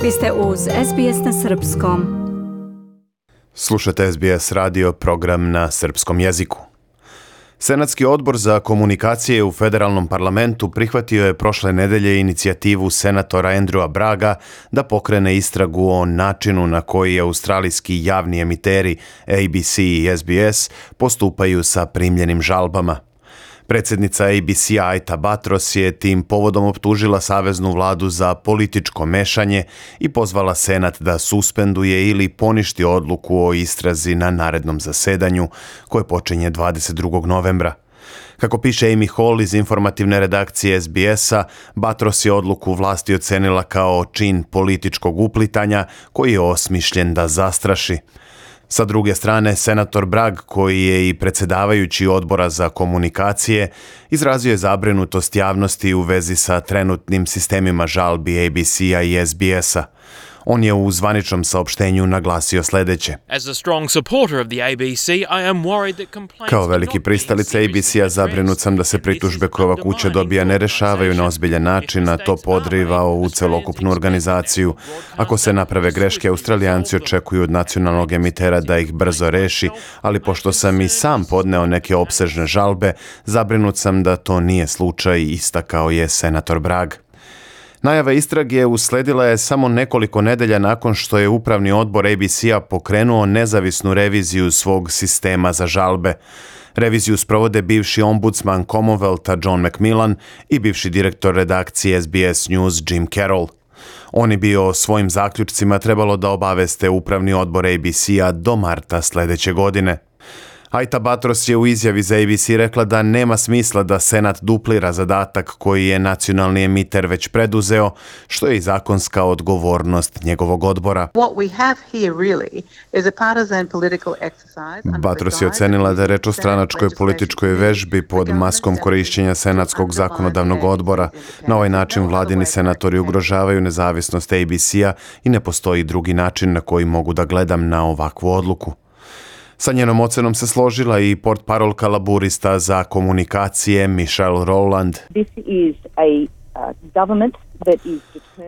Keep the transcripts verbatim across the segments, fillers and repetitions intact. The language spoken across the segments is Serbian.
Vi ste uz S B S na srpskom. Slušate S B S radio, program na srpskom jeziku. Senatski odbor za komunikacije u federalnom parlamentu prihvatio je prošle nedelje inicijativu senatora Andrewa Bragga da pokrene istragu o načinu na koji australijski javni emiteri A B C i S B S postupaju sa primljenim žalbama. Predsjednica A B C-a Aita Batros je tim povodom optužila saveznu vladu za političko mešanje i pozvala Senat da suspenduje ili poništi odluku o istrazi na narednom zasedanju koje počinje dvadeset drugog novembra. Kako piše Amy Hall iz informativne redakcije S B S-a, Batros je odluku vlasti ocenila kao čin političkog uplitanja koji je osmišljen da zastraši. Sa druge strane, senator Bragg, koji je i predsjedavajući odbora za komunikacije, izrazio je zabrinutost javnosti u vezi sa trenutnim sistemima žalbi A B C-a i S B S-a. On je u zvaničnom saopštenju naglasio sljedeće. Kao veliki pristalica A B C-a zabrinut sam da se pritužbe koje ova kuća dobija ne rešavaju na ozbiljan način, a to podriva ovu celokupnu organizaciju. Ako se naprave greške, Australijanci očekuju od nacionalnog emitera da ih brzo reši, ali pošto sam i sam podneo neke opsežne žalbe, zabrinut sam da to nije slučaj, istakao je senator Bragg. Najava istrage usledila je samo nekoliko nedelja nakon što je upravni odbor A B C-a pokrenuo nezavisnu reviziju svog sistema za žalbe. Reviziju sprovode bivši ombudsman Commonwealtha John McMillan i bivši direktor redakcije S B S News Jim Carroll. Oni bi o svojim zaključcima trebalo da obaveste upravni odbor A B C-a do marta sljedeće godine. Aita Batros je u izjavi za A B C rekla da nema smisla da Senat duplira zadatak koji je nacionalni emiter već preduzeo, što je i zakonska odgovornost njegovog odbora. Batros je ocenila da je reč o stranačkoj političkoj vežbi pod maskom korišćenja Senatskog zakonodavnog odbora. Na ovaj način vladini senatori ugrožavaju nezavisnost A B C-a i ne postoji drugi način na koji mogu da gledam na ovakvu odluku. Sa njenom ocenom se složila i portparolka laburista za komunikacije Michelle Rowland.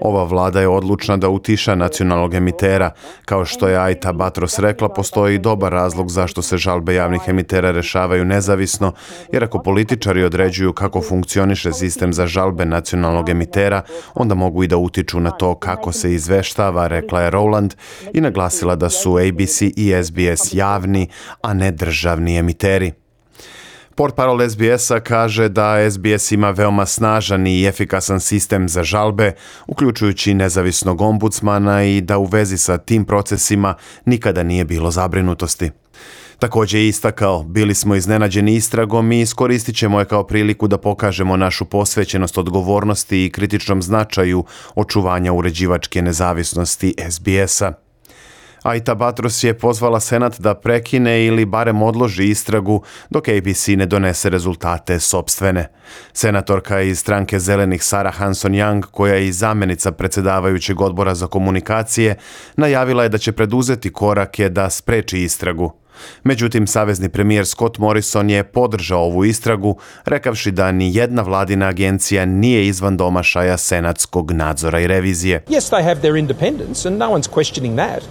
Ova vlada je odlučna da utiša nacionalnog emitera. Kao što je Aita Batros rekla, postoji dobar razlog zašto se žalbe javnih emitera rešavaju nezavisno, jer ako političari određuju kako funkcioniše sistem za žalbe nacionalnog emitera, onda mogu i da utiču na to kako se izveštava, rekla je Rowland i naglasila da su A B C i S B S javni, a ne državni emiteri. Portparol S B S-a kaže da S B S ima veoma snažan i efikasan sistem za žalbe, uključujući nezavisnog ombudsmana i da u vezi sa tim procesima nikada nije bilo zabrinutosti. Također je istakao, bili smo iznenađeni istragom i iskoristit ćemo je kao priliku da pokažemo našu posvećenost odgovornosti i kritičnom značaju očuvanja uređivačke nezavisnosti S B S-a. Aita Batros je pozvala Senat da prekine ili barem odloži istragu dok A B C ne donese rezultate sopstvene. Senatorka iz stranke Zelenih Sarah Hanson-Young, koja je i zamjenica predsjedavajućeg odbora za komunikacije, najavila je da će preduzeti korake da spreči istragu. Međutim, savezni premijer Scott Morrison je podržao ovu istragu, rekavši da ni jedna vladina agencija nije izvan domašaja senatskog nadzora i revizije. Yes, they have their independence and no one's questioning that.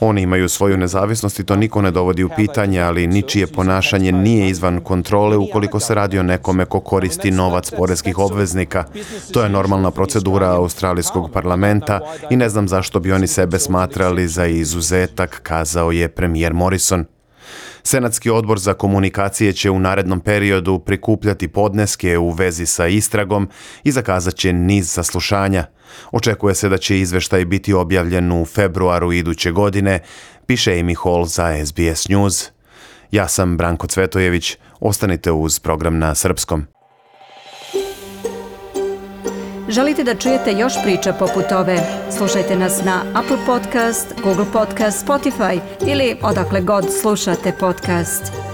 Oni imaju svoju nezavisnost i to niko ne dovodi u pitanje, ali ničije ponašanje nije izvan kontrole ukoliko se radi o nekome ko koristi novac poreskih obveznika. To je normalna procedura australijskog parlamenta i ne znam zašto bi oni sebe smatrali za izuzetak, kazao je premijer Morrison. Senatski odbor za komunikacije će u narednom periodu prikupljati podneske u vezi sa istragom i zakazat će niz saslušanja. Očekuje se da će izveštaj biti objavljen u februaru iduće godine, piše Amy Hall za S B S News. Ja sam Branko Cvetojević, ostanite uz program na srpskom. Želite da čujete još priča poput ove? Slušajte nas na Apple Podcast, Google Podcast, Spotify ili odakle god slušate podcast.